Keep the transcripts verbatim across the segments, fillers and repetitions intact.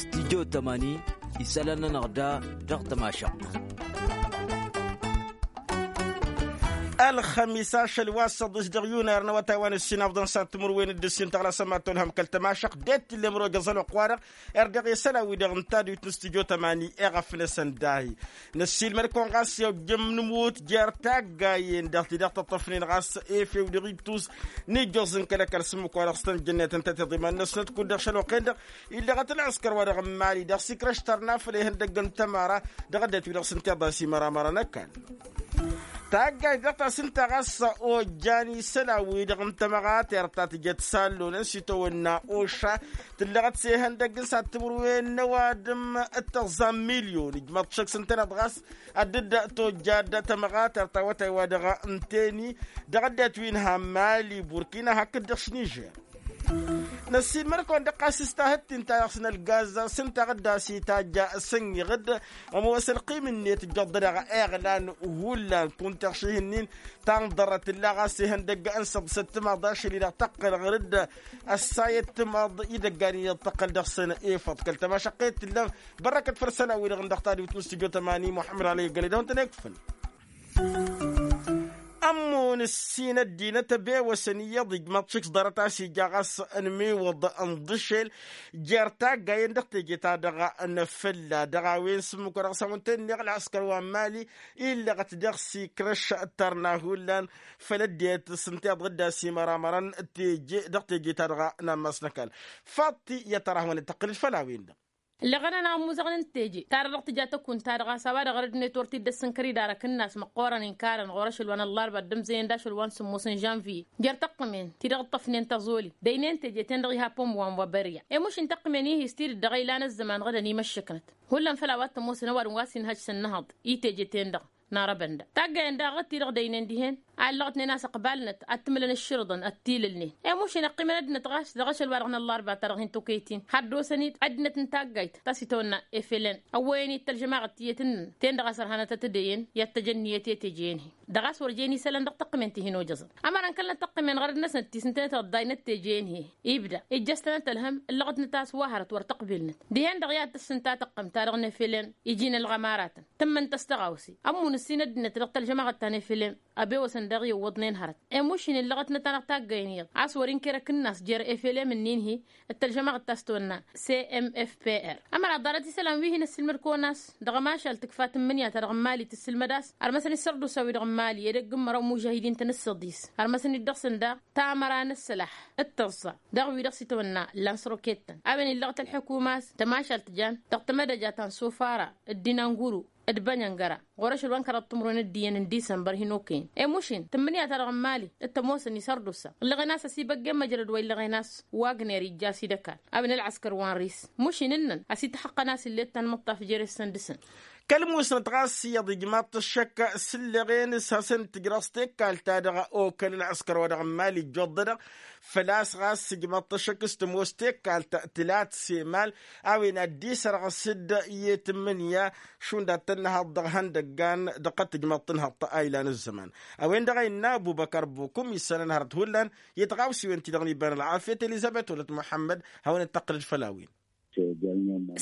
Studyo tămani isălan-nănăɣ da dăɣ-tămašăɣt. Ălxămis ašăl wa s-ăḍḍǝs dăɣ-yunar n-awătay wa n-ǝssin afḍăn s-ad-timǝrwen d-ǝssin tăɣlasăm ad-tolhăm kăl-tămašăɣt d-e t-tǝllem roja ăẓăloq-wa-dăɣ. Erdăɣ i-isălan-wi-dăɣ n-taduyt n-studyo tămani iɣăf-năsăn dahi năssiilmăd-kăwăn ɣas i-ojjăm nǝmut jer-taggayen-dăɣ ti-dăɣ tăṭṭăfnen ɣas efew dăɣ-ittus n-ijjoẓ n-kăl-ăkall s-ǝmmǝk-wa-dăɣ s-tăn-jănnetăn tătiḍiman-năsnăt kud-dăɣ šăl-oqen-dăɣ. Illăɣăt ălɣǝskăr-wa-dăɣ n-imali dăɣ-sikrăš tărna făll-ihăndăgg n-tămăra dăɣ-ăddinăt-wi-dăɣ s-ǝnta iḍas imăramărăn ăkall. Taggayt dăɣ-ta s-ǝnta ɣas ojjan isălan-wi-dăɣ n-tămăɣatert ta tǝjăt sallonăn s-itawănna oša tǝllăɣăt s-ehăndăgg n-sad-timǝrwen n-ăwadǝm d-tăẓẓa n-milyon ijmaḍ šăkk s-ǝntăneḍ ɣas ad-dd-tojjad tămăɣatert ta awătay-wa-dăɣ n-teni dăɣ-ăddinăt wi n-ha n-mali burkina hakd-dăɣ s-nižer. Năssiilmăd-kăwăn dăɣ-ɣas s-tahǝttin ta dăɣ-s n-ălgaz s-ǝnta ɣǝdda s-itajja s-ănniɣ-dd ămoos ălqim-net ǝjjăḍ-dăɣ iɣlan hullan kunta ăɣših-nin ta n-ḍărrăt ǝlla ɣas ihăndăgg n-săḍ s-ăttămaḍ ašăl-i-dăɣ tăqqăl ɣăr-dd ăssayăt timaḍ idăggan-i-dăɣ tăqqăl dăɣ-săn efăḍ kăl-tămašăqqet tǝllăm. Bărrăkăt făll-isălan-wi-dăɣ n-dăɣ tadǝwt n-studyo tămani muḥămmăd alăy ăggălăy d-awăn-tăn-ekfǝl. Ămmun ǝssin ăddinăt ăbewăsăn iyyăḍ ijmăḍ šik s-ḍarăt a-s ija ɣas ănmiwăḍ ănḍǝšel jer-taggayen dăɣ-teje-ta-dăɣ n-fălla dăɣ-a-wen s-ǝmmǝk wa dăɣ-s hawăn-ten-neɣ ălɣǝskăr wa n-mali illăɣăt dăɣ-sikrăš d-tărna hullan făll-ăddinăt s-ǝnta iḍ ɣǝdda s-imăramărăn teje dăɣ-teje-ta-dăɣ n-ammas n-ăkall. Faḍt i-ad-tăr-ahmănăt tăqqǝlăt făll-a-wen-dăɣ. Ǝllăɣăn-anăɣ ămmuẓăɣăn n-teje ta-dăɣ dăɣ-tǝja tăkunt-ta-dăɣ a-s a-wa dăɣ-rădnet wăr t-dd-ăssǝnkăr idarăk ǝnnas măqqoorăn inkarăn ɣur-ašăl wa n-ăllarba d-ǝmzăyăn d-ašăl wa n-sǝmmos n-žănviye jer-tăqqǝmen ti-dăɣ ǝṭṭăfnen tăẓoli dăynăyăn teje-ten-dăɣ iha pomb wa n-wa băriya. I-mušin tăqqǝmen-ihi s-tidǝt dăɣ-e ilan ăzzăman ɣǝdăn imăššăknăt hullan făll-a-wa t-ămoosăn ăwadǝm wa s-inhăj s-ănnăhăḍ i-teje-ten-dăɣ. N-arăbăn-dăɣ taggayen daɣ ɣǝd-ti-dăɣ dăynăyăn dihen a ǝllăɣătnen a-s ăqbalnăt ad-t-ǝmǝlăn ǝššǝrǝḍăn ad-t-ilǝlnen. I-mušin ăqqimăn ăddinăt ɣas dăɣ-ašăl wa dăɣ-năllarba ta dăɣ-hin-tokăyăt-in had-dd-osăn-dd ăddinăt n-taggayt ta s-itawănna efelen ăwwăyăn-i d-tălžămaɣăt tiyyăt-nǝnna ten-dăɣ a-s ărhanăt ad-t-dd-eyyăn i-ad-t-ăj ănniyăt i-teje-en-hi. Dăɣ-a-s wăr jen isălan dăɣ-tăqqǝmen ti hin-ojăẓăn ămăra n-kăl-năt tăqqǝmen ɣărăt-năsnăt ti s-ǝntănăt iḍḍay n-ătteje-en-hi. Ibda ijjăs-tănăt ălhăm ǝllăɣăt-năt a-s wa hărăt wăr tăqbilnăt dihen-dăɣ i-ad-tăssǝnta tăqqǝm-ta-dăɣ n-efelen iji n-ălɣămaratăn. Tǝmmǝn-t ăstăɣawse ămmun ǝssin ăddinăt dăɣ-tălžămaɣăt ta n-efelen. Ăbewăsăn daɣ iwwăḍnen hărăt i-mušin illăɣăt-năt-anăɣ taggăyăn iyyăḍ a-s wăr-inkăr akǝnnas jer-efele mǝnnin-hi d-tălžămaɣăt ta s-tăwănna. S-m f p r ămăra ḍarăt isălan wi hin-ăssilmăd-kăwăn a-s dăɣ-ămašal tǝkfa tǝmmǝnǝya-ta-dăɣ n-mali tǝssǝlmăd a-s ărmăsăn isărdusa-wi-dăɣ n-mali edăgg n-măraw n-imužahidin-tăn ǝssăḍis ărmăsăn-dd dăɣ-săn daɣ tamăra n-ăssălaḥ d-tăẓẓa dăɣ-wi-dăɣ s-itwănna. Illa n-săroketăn a-wen illăɣăt ălḥukuma a-s tămašalt jan dăɣ-tamădăja ta n-sofara d-dinanguru d-bănjăngăra ɣur-ašăl wa n-kăraḍ timǝrwen d-iyyăn n-disămbăr hin-okăyăn. Emušin tǝmmǝnǝya-ta-dăɣ n-mali d-tămoosăn isărdusa ǝllăɣen a-s ăsibăggen măjrăd wa illăɣen a-s wagner ijja a-s idăkal a-wen ălɣăskăr wa n-ris. Mušin ǝnnăn ăsităxăqqăn a-s illet ta n-imǝṭṭaf jere-săn dăɣ-săn. Kăl-musnăt ɣas iyyăḍ ijmaḍ-t ăššăk s-ǝllăɣen s-hasăn-tǝjrăẓ tekkalt-ta-dăɣ okăl ălɣăskăr wa dăɣ-n mali ǝjjoḍ-dăɣ făl-a-s ɣas ǝjmaḍ-t ăššăk s-tămoos tekkalt tǝlat s-emal a-wen ad-dd-isărɣǝs-dd i-tǝmmǝnǝya šund ad-tănnăhăḍ dăɣ-ihăndăggan dăɣ-kăt-tǝjmăḍ tǝnhăḍt a ilan ǝzzăman. A-wen-dăɣ a innă ăbubăkăr bukum isălan hărăt hullan i-tiɣawsiwen-ti-dăɣ n-iba n-ălɣafyăt elizăbet wălăt muḥămmăd. Hawăn-dd-tăqqǝlăd făll-a-wen.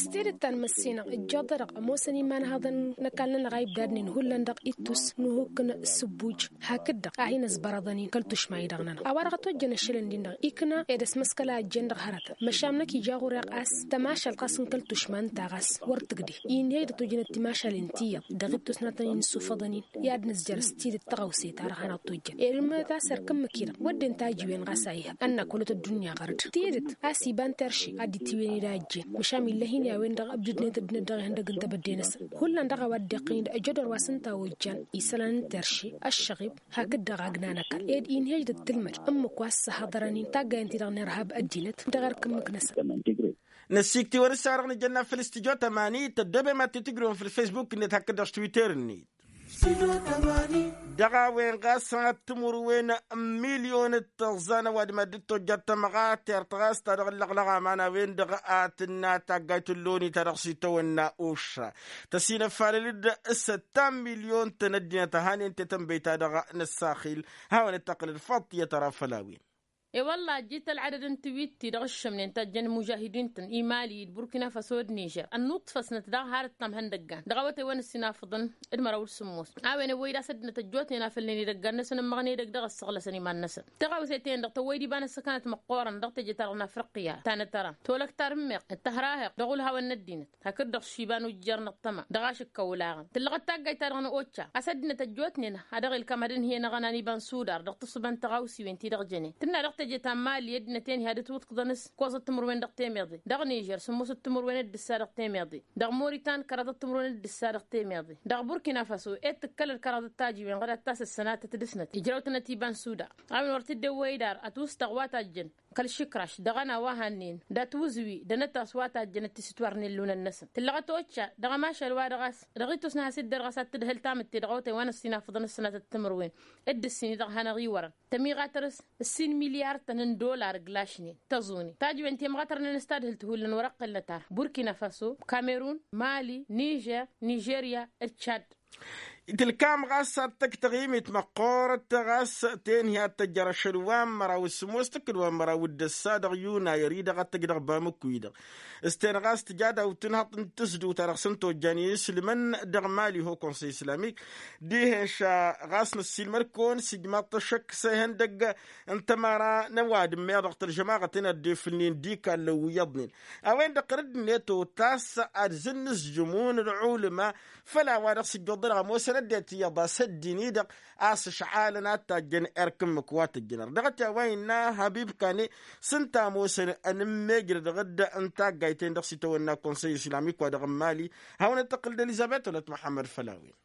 S-tidǝt ta n-măssinăɣ ǝjjăḍ-dăɣ ămoosăn iman ihăḍăn n-ăkall-nănăɣ a ibdadnen hullan dăɣ-ittus n-uhuk n-sǝbbuj. Hakd-dăɣ a hin-ăsbărăḍăn-in kăl-tušma-i-dăɣ-nănăɣ a-wa-dăɣ ătojjăn ăššălăn-din-dăɣ ikna ed ăsmăskăla ăjjeen dăɣ-hărătăn măšan năkk ija ɣur-e ɣas tămašalt ɣas n-kăl-tušma ǝnta ɣas wăr tǝgdeh. Inhăy d-ătojjăn d-timašalen ti iyyăḍ dăɣ-ittus n-ad-tăn-in-sufăḍăn-in i-ad-nǝzjăr s-tidǝt tăɣawse-ta-dăɣ hanăɣ-tojjăn ed ǝmmǝnăt a-s ărkǝmmǝk-i-dăɣ wădden tajiwen ɣas a ihăb ănnăk wălăt ăddunya ɣăr-dd tidǝt a-s iba n-terše ad-dd-tiwǝyăn-dd a ăjjeen măšan illăh-in i-a-wen-dăɣ ǝbdǝdnet ăddinăt dăɣ-ihăndăg n-tebădde-năsăn. Hullan dăɣ-a-wa dd-iqqǝn-dd ăjădor wa s-ǝnta a ojjan isălan n-terše ăššăɣib hakd-dăɣ agna n-ăkall ed inhej d-ăttǝlmăd ǝmmǝk wa s-săhăḍărăn-in taggayen-ti-dăɣ n-irhab ăddinăt dăɣ-erk ǝmmǝk-năsăn. Năsiktiwăn s-a-dăɣ nǝjănna făll-studyo tămani tăddobem ad-t-tǝjrǝwăm făll-facebook-net hakd-dăɣ s-twitter-net. Dăɣ-a-wen ɣas ad-timǝrwen n-milyon d-tăẓẓa n-ăwadǝm ad-dd-tojjat tămɣatert ɣas ta dăɣ-ǝllăɣlăɣ aman a-wen-dăɣ a tǝnna taggayt n-loni ta dăɣ-s itawănna ušra tăsinăfalăl-dd s-ăttan milyon-tăn ăddinăt ăhanen tetănbăy-ta-dăɣ n-ăssaxil. Hawăn-dd-tăqqǝlăd faḍt i-ad-tăra făll-a-wen. E-wălla ăjjit ălɣădăd n-tiwit-ti-dăɣ ǝššămnen tajjăn imužahidin-tăn i-mali d-burkina faso d-nižer ănnuṭṭfăsnăt daɣ har ǝttam ihăndăggan dăɣ-awătay wa n-ǝssinafăḍăn d-măraw d-sǝmmos. A-wen ăwwăy-dd a-s ăddinăt ăjjootnen a fălnen idăggan-năsăn ămmăɣnen idăgg dăɣ-ăssăɣlăsăn iman-năsăn. Tăɣawse-ten-dăɣ tăwwăy-dd iba n-ăssăkănăt măqqoorăn dăɣ-teje-ta-dăɣ n-afriqya ta n-atăra tolăktar n-meɣ d-tăhrahăɣ dăɣ-ulhawăn n-ăddinăt hakd-dăɣ s-iba n-ujjăr n-ăṭṭăma dăɣ-ašǝkkăw ulaɣăn. Tǝllăɣăt taggayt-ta-dăɣ n-occa a-s ăddinăt ăjjootnen ad-dăɣ-ilkăm ad-ǝnhǝyăn aɣănan iba n-sudar dăɣ-tǝssǝba n-tăɣawsiwen-ti-dăɣ jănen tǝnna dăɣ-teje ta n-mali ăddinăt-en-hi ad-ǝtwǝḍkǝḍăn s-ǝkkoẓăt timǝrwen dăɣ-temeḍe, dăɣ-nižer sǝmmosăt timǝrwen d-ǝssa dăɣ-temeḍe, dăɣ-moritan kăraḍăt timǝrwen d-ǝssa dăɣ-temeḍe, dăɣ-burkina faso ed tǝkkălăl kăraḍăt tajiwen ɣǝdat ta s-ăssănatăt dăɣ-snăt ijrăw-tănăt iba n-suda. A-wen wăr t-dd-ewwăy d-ar ătwǝstăɣ wa tajjăn kăl-išǝkraš dăɣ-ănn a-wa hannen d-atwǝzwi d-anătas wa tajjăn d-tisǝtwar n-ellunăn-năsăn tǝllăɣăt occa dăɣ-ămašal wa dăɣ-a-s dăɣ-itus n-has-dd-ărɣăs ad-t-dd-hăl tamǝtte dăɣ-awătay wa n-ăssinafăḍăn ǝssănatăt timǝrwen d-ǝssin-i-dăɣ hanăɣ-iwărăn tămiɣatăr s-ǝssin milyar-tăn n-dollar ǝglašnen tăẓune tajǝwen temɣatărnen s-tadhǝlt hullan wăr-ăqqǝlnăt ar burkina faso, kamerun, mali, nižer, nižerya, d-cad. Itǝlkam ɣas ad-tăgg taɣimit măqqoorăt ɣas tenhi ad-tăjjăr ašăl wa n-măraw d-sǝmmos tǝkkǝd wa n-măraw d-ăssa dăɣ-yunayăr-i-dăɣ ad-tăgg dăɣ-bamǝkku-i-dăɣ s-ten ɣas tǝja daw-tǝnhăḍt n-tǝsdǝw-ta-dăɣ s-ǝnta ojjan i-inǝslǝmăn dăɣ-mali ho konsăy islamik. Dihen ša ɣas năssiilmăd-kăwăn s-ijmaḍ-t ăššăk s-ehăndăgg n-tămăra n-ăwadǝm meɣ dăɣ-tălžămaɣăt-en ad-dd-efǝlnen d-ikallăn wi iyyăḍnen. A-wen-dăɣ tărǝd-net otas ad-zǝnnǝzjǝmun d-ɣulǝma făll-a-wa-dăɣ s-ǝjjuḍ-dăɣ ămoosăn ăddinăt iyyăḍ a-s ăddin-i-dăɣ a-s ǝšɣalăn ad-tajjăn erk ǝmmǝk wa tǝjjǝnăr dăɣ-t i-a-wa innă habib kane s-ǝnta ămoosăn ănǝmmejrăd ɣǝdd n-taggayt-en-dăɣ s-itawănna konsăy islamik wa dăɣ-n mali. Hawăn-dd-tăqqǝl d-elizăbet wăla t-muḥămmăd făll-a-wen.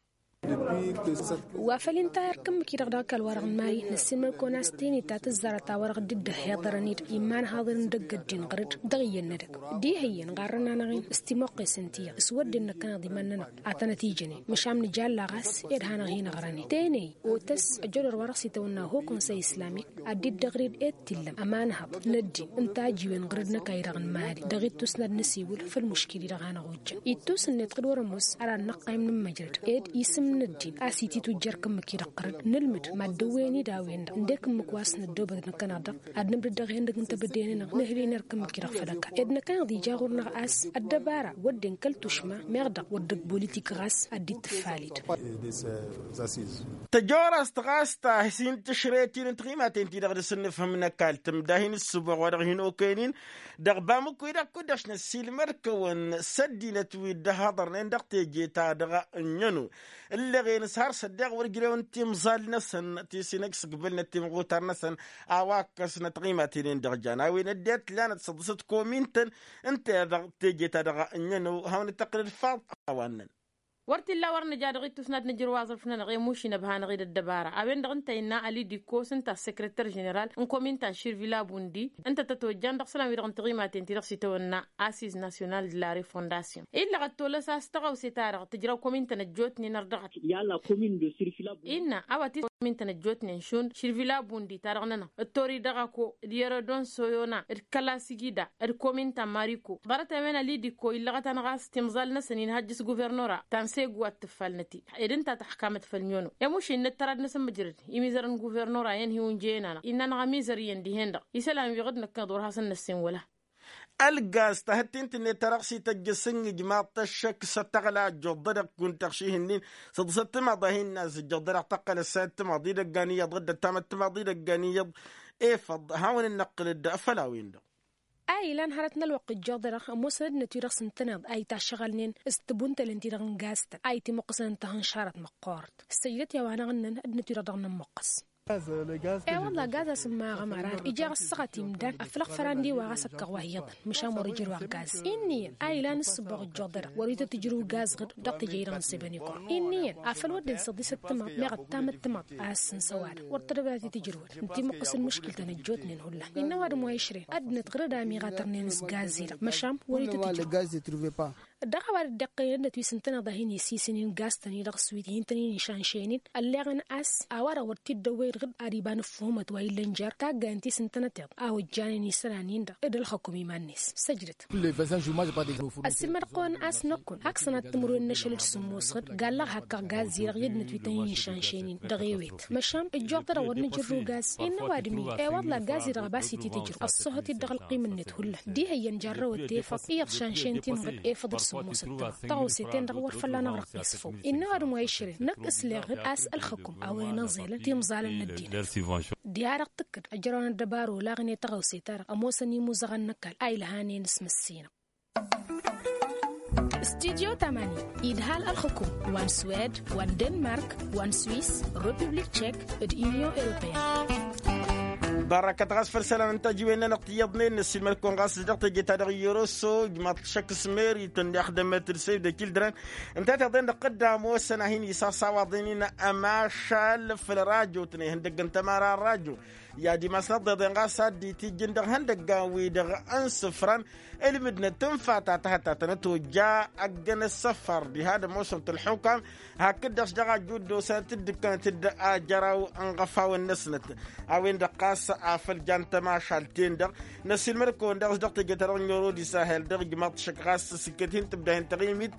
Wa făl inta erk ǝmmǝk-i-dăɣ dăɣ-ăkall-wa-dăɣ n-mali năssiilmăd-kăwăn a-s teni ta tǝzzarăt a-wa-dăɣ dd-ăhhiḍărăn-dd imanhaḍăn n-idăgg ăddin ɣăr-dd dăɣ-iyyăn n-edăgg. Diha iyyăn ɣarrăn-anăɣ-in s-timoqqesen ti-iyyăḍ s-wădden năkkăneḍ iman-nănăɣ. Ad-tănăt-ijănen măšan nǝjalla ɣas ed hanăɣ-hin-ăɣrănen teney otăs ăjodăr wa dăɣ-s itawănna ho konsăy islamik ad-dd-ăɣri-dd ed t-illăm ămanhăḍ n-ăddin n-tajiwen ɣǝr-dd n-ăkall-i-dăɣ n-mali dăɣ-ittus n-ad-năsiwǝl făll-muškil-i-dăɣ hanăɣ-ojjăn ittus-net kăd wăr-ămoos. Ad-ad-năqqayǝm nǝmmăjrăd ed isǝm n-ăddin a-s ititujjăr kǝmmǝk-i-dăɣ ɣǝr-dd nǝlmǝd mad-dăwwăyăn idawăyăn-dăɣ ǝndek ǝmmǝk wa s-năddoobăt năkkăneḍ-dăɣ ad-nǝmdǝd dăɣ-ihăndăg n-tebădde-nănăɣ nǝhǝl-in erk ǝmmǝk-i-dăɣ făll-ăkall ed năkkăneḍ ija ɣur-năɣ a-s ăddăbara wădden kăl-tušma meɣ-dăɣ wăr dd-politik ɣas ad-dd-tǝffalid. Tăjorăst ɣas ta hin-tǝšret-in n-tiɣimaten-ti-dăɣ dăr-s ǝnnǝfhǝm n-ăkall tǝmda hin-ǝssǝboɣ wa dăɣ-hin-okăyăn-in dăɣ-bamǝkku-i-dăɣ kud-dăɣ s-năssiilmăd-kăwăn s-ăddinăt wi dd-ăhhăḍărnen dăɣ-teje-ta-dăɣ ǝnnăn-o ǝlleɣen s-har s-ăddeɣ wăr ǝjrewăn timẓal-năsăn ti s-inăksǝgbǝlnăt timɣutar-năsăn. A-wa ǝkkăsnăt tiɣimaten-en-dăɣ jan a-wen ăddinăt lanăt săḍǝsăt komin-tăn ǝnta-dăɣ teje-ta-dăɣ ǝnnăn-o hawăn-dd-tăqqǝlăd faḍ a-wa ǝnnăn. Wăr t-illa wăr nǝja dăɣ-ittus n-ad-nǝjrǝw aẓrǝf-nănăɣ i-mušin ăbhanăɣ-dd ăddăbara a-wen-dăɣ ǝnta innă ălidikko s-ǝnta ăssăkrăter ženeral n-kominta n-širvila bundi ǝnta tăt-ojjan dăɣ-isălan-wi-dăɣ n-tiɣimaten-ti-dăɣ s-itawănna assiz national de la refondasyon. Illăɣăt tolăs a-s tăɣawse-ta-dăɣ tǝjrăw komintăn ăjjootnen ărdăɣăt. Innă a-wa t-komintăn ăjjootnen šund širvila bundi ta dăɣ-nănăɣ ǝttori dăɣ-ako d-yărădon soyona d-kăla sigida d-kominta n-mariko ḍarăt a-wen ălidikko illăɣăt-anăɣ a-s timẓal-năsăn inhăjj s-guvernora ta n-segu ad-tǝffalnăt-i ed ǝnta tăḥkamăt făll-nyono. Emuš innă d-tărad-năsăn mǝjrăd imizăr n-guvernora i-ănhǝy unjăyăn-anăɣ innă-năɣ amizăr iyyăn dihen-dăɣ isălan wi ɣǝd-năkkăneḍ wăr hasăn-năssen wăla. Ălgaz ta hăttin-tǝnnet ta dăɣ-s-ităjjăs ǝnnǝjmaḍ-t ăššăk s-ăttăɣla ăjjuḍ-dădăɣ kunta ăɣših-nin săḍǝsăt timaḍ a hin-inna a-s ǝjjăḍ-dădăɣ tăqqălăt s-ad-timaḍ idăggan iyyăḍ dd-ăttamăt timaḍ idăggan iyyăḍ. Efăḍ hawăn-dd-năqqǝlăd făll-a-wen-dăɣ. A ilan hărăt n-ălwăqq ǝjjuḍ-dăɣ ămoosăn ăddinăt-wi-dăɣ s-ǝntăneḍ a itašăɣălnen s-tăbuntălen-ti-dăɣ n-gaz-tăn a itimuqqǝsăn ǝnta ihănšarăt măqqoorăt. Ǝssăjdăt i-a-wa-năɣ ǝnnăn ăddinăt-wi-dăɣ dăɣ-nămmuqqǝs. E-wălla gaz a-s ǝmmaɣăm arad ija ɣas săɣăt imdan aflăɣ făran d-iwaɣ a-s ăkkăɣ wa hi-iyyăḍăn măšan wăr-ǝjrǝw aɣgaz. Inn'-iyyăn a ilan ǝssǝboɣ ǝjjuḍ-dăɣ wăr-ităt ǝjrǝw gaz ɣǝd dăɣ-teje-i-dăɣ n-sebănikor. Inn'-iyyăn afăl wădden săḍisăt timaḍ meɣ ăttamăt timaḍ a ăssǝnsăw-ad-dăɣ wăr tădăbnat i-tǝjrǝwăn ǝnta imuqqǝsăn mǝškǝl-tăn ăjjootnen hullan. Innă ăwadǝm wa išren ăddinăt ɣǝr-dd a ămiɣatărnen s-gaz-i-dăɣ măšan wăr-ităt ǝjrǝw. Dăɣ-a-wa dd-iqqăyăn ănnăt wi s-ǝntăneḍ a hin-isisǝnin gaz-tăn-i-dăɣ s-wi t-hin-tăn-in-išanšăynen ălleɣăn a-s a-wa-dăɣ wăr t-dd-ăwwăyăd ɣǝd ad-iba n-ǝffuhǝmăt wa illăn jer-taggayăn ti s-ǝntănăteḍ a ojjanen isălan-in-dăɣ d-ălxăkum iman-net. Săjdăt. Ăssiilmăd-kăwăn a-s năkkun hak sănat timǝrwen n-ašăl d-sǝmmos ɣǝd gallăɣ hakkăɣ gaz-i-dăɣ i-ăddinăt wi tăn-in-išanšăynen dăɣ-ewet măšan ǝjjoɣ-t-dăɣ wăr nǝjǝrru gaz. Innă ăwadǝm-i ewăḍla gaz-i-dăɣ a bas-ititǝjrǝw ăṣṣuhăt-dd dăɣ-ălqim-net hullan diha iyyăn jarrăwăt tefăḍ iyyăḍ šanšăyăn-t-in ɣǝd efăḍ d-sǝmmosăt-tăɣ. Tăɣawse-ten-dăɣ wăr fălla-năɣ răqqes făw. Innă ăwadǝm wa išrǝn năkk s-leɣ ɣǝd a-s ălxăkum a-wen ăẓelăn timẓalăn n-ăddinăt. Diha-dăɣ tǝkkǝd ăjrăwăn ăddăbar olaɣăn i-tăɣawse-ta-dăɣ ămoosăn imuzăɣăn n-ăkall a ilhanen s-măssinăɣ. Studyo tamani idhal ălxǝkum wa n-swed wa n-denmark wa n-swiss, republik tšek d-unyon europeyăn. Ḍarrăkăt ɣas făll-isălan n-tajiwen-nănăɣ tiyyăḍnen năssiilmăd-kăwăn ɣas dăɣ-teje-ta-dăɣ i-oroso ijmaḍ-t šăkk s-merit ǝnda ixdămăt d-save the children. Ǝnta tiḍen dăɣ-tădda ămoosăn a hin-isasawaḍen-in ămašal făll-rajotnen ihăndăgg n-tămara n-rajo. I-ad-imasnăḍ iḍen ɣas ad-dd-itijjǝn dăɣ-ihăndăggan-wi-dăɣ n-isǝfran ǝlmǝdnăt n-fata tahăttatănăt ojja ăggăn ăssăfăr diha d-ămoosăn-t ălxukam. Hakd-dăɣ s-dăɣ-ajju dd-osănăt dd-ǝkkănăt-dd ajăraw n-iɣăfawen-năsnăt a-wen-dăɣ ɣas afăl jan tămašalt-ten-dăɣ. Năssiilmăd-kăwăn daɣ s-dăɣ teje-ta-dăɣ n-oro d-isahel dăɣ-ijmaḍ-t šăkk ɣas s-sǝkket hin-tǝbda hin-taɣimit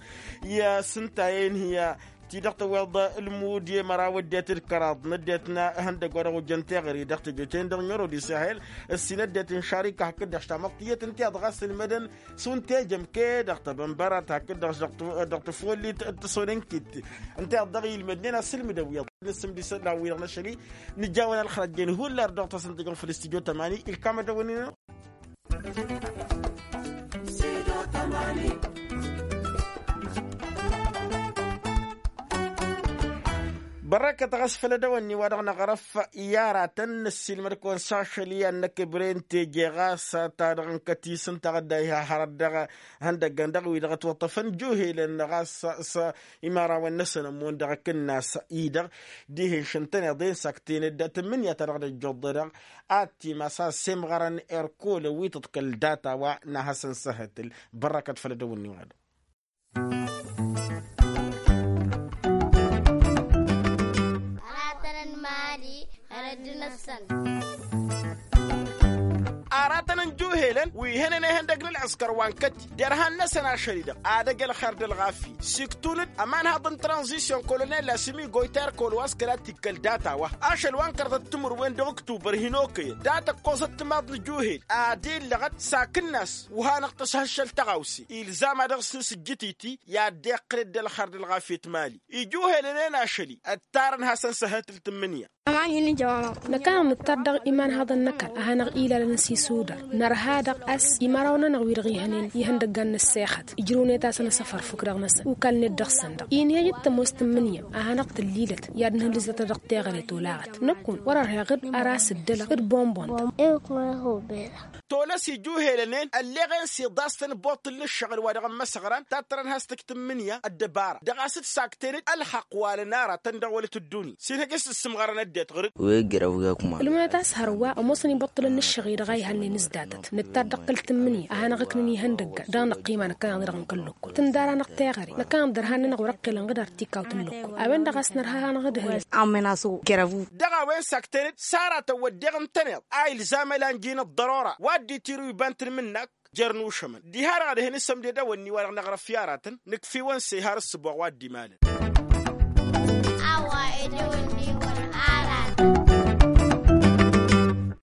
i-asǝnta-en hi-a ti-dăɣ tăwweḍ ǝlmud i-măraw ăddinăt d-kăraḍ n-ăddinăt n-ihăndăgg wa dăɣ-ojjăn teɣăre dăɣ-teje-ten-dăɣ n-oro d-isahel. Ǝssin ăddinăt n-šarika hakd-dăɣ s-tamăḍt tiyyăt ǝnta iyyăḍ ɣas ǝlmădăn s-un tejăm ked dăɣ-tăbănbărat hakd-dăɣ s-dăɣ-tăfullit d-tăsonănkit. Ǝnta iyyăḍ dăɣ-ilmădnen asǝlmǝd ăwwiḍ n-asǝmdisăt la wi-dăɣ n-ašăl-i. Nǝjawăn ălxărăt jen hullar dăɣ-tasăn tejăm făll-studyo tămani ilkam ad-dăwănnin. Bărrăkăt ɣas făll-edăwănni wa dăɣ-năɣrăf i-aratăn năssiilmăd-kăwăn s-ašăl i-ad-năkk ǝbren teje ɣas ta dăɣ-nǝkăt isǝntaɣ dd-a iha hărăt dăɣ-ihăndăggăn dăɣ-wi-dăɣ ătwăṭṭăfăn juhelăn ɣas s-imărawăn-năsăn ămmun dăɣ-akǝnnas-i-dăɣ. Dihen šăn tăn-iḍen s-akten-dd tǝmmǝnǝya ta dăɣ-dd-ăjjuḍ-dăɣ ad-timas a-s semɣărăn erkol ăwwităt kăl-data wa n-ad-hasăn-săhătǝl. Bărrăkăt făll-edăwănni wa dăɣ-aratăn n-imali. Hărăt-năsăn aratăn n-juhelăn wi hănen ehăndăg n-ălɣǝskăr wa n-kăti derhan-năsăn ašăl-i-dăɣ ad-ăj ălxer d-ălɣafyăt s-iktun-dd ămanhaḍ n-tranzisyon kolonel asǝmi goyter kolwas kăla t-ikkăl data-wa ašăl wa n-kărăḍăt timǝrwen dăɣ-uktubăr hin-okăyăn data ǝkkoẓăt timaḍ n-juhel ad-illăɣăt s-akǝnnas. Wa hanăɣ-tăshăššăl tăɣawse ilzam ad-dăɣ-s nǝsǝjjǝt-i-ti i-ad-dd-iqqǝlăd d-ălxer d-ălɣafyăt mali. Ijuhelăn-en ašăl-i ǝttarăn hasăn-săhhătǝl tǝmmǝnǝya. Năkk-anăɣ nǝttar dăɣ-imanhaḍăn n-ăkall a hanăɣ-ilalăn s-isudar nărha daɣ a-s imărawăn-anăɣ wi-dăɣ ihănen ihăndăggan n-ăssexăt ijrǝwnet-asăn asăfăr fukk dăɣ-năsăn ukalnet dăɣ-săn-dăɣ. Inhăyăt tămoos tǝmmǝnǝya a hanăɣ-tǝllilăt i-ad-nǝhǝllǝzăt dăɣ-teɣăre tolaɣăt năkkun wăr-ărheɣ-dd ăras dd-ălăɣ d-bonbon-tăn. Tolăs ijuhelăn-en ălleɣen s-iḍas-tăn boṭṭǝl n-ǝššăɣǝl wa dăɣ-ămmăsăɣran tattărăn has-tǝk tǝmmǝnǝya ăddăbara dăɣ-a-s dd-saktăn-dd ălxăqq wa lănara-tăn dăɣ-wălăt ăddunya s-inhăj a-s ǝssǝmɣărăn ăddinăt ɣǝr-dd. Wi ǝjjărăw gakuma ǝlmǝnăt a-s hărwa ămoosăn ibăṭṭǝlăn n-ǝššăɣ-i-dăɣ a ihănnen s-datăt nǝttar dăɣ-kăl-tǝmmǝnǝya a hanăɣ-ǝknǝn ihăndăggan dăɣ-năqqima năkkăneḍ-i-dăɣ n-kăl-lăkkol tǝndara-năɣ teɣăre năkkăneḍ dărhan-nănăɣ wăr-ăqqilăn ɣǝd ar t-ikawt n-lăkkol. A-wen-dăɣ a-s nărha hanăɣ-dd hăyăn. Amănaso kărăvu. Dăɣ-a-wen sakten-dd s-aratăn wădden ǝntăneḍ a ilzam ălanji n-ăḍḍărora wa dd-itirǝw iba n-tǝlmǝnnak jer-nušămăn diha-dăɣ ad-hin-isămded awănni wa dăɣ-năɣrăf i-aratăn nǝkf'-iwăn s-ehar ǝssǝboɣ wa dd-imalăn.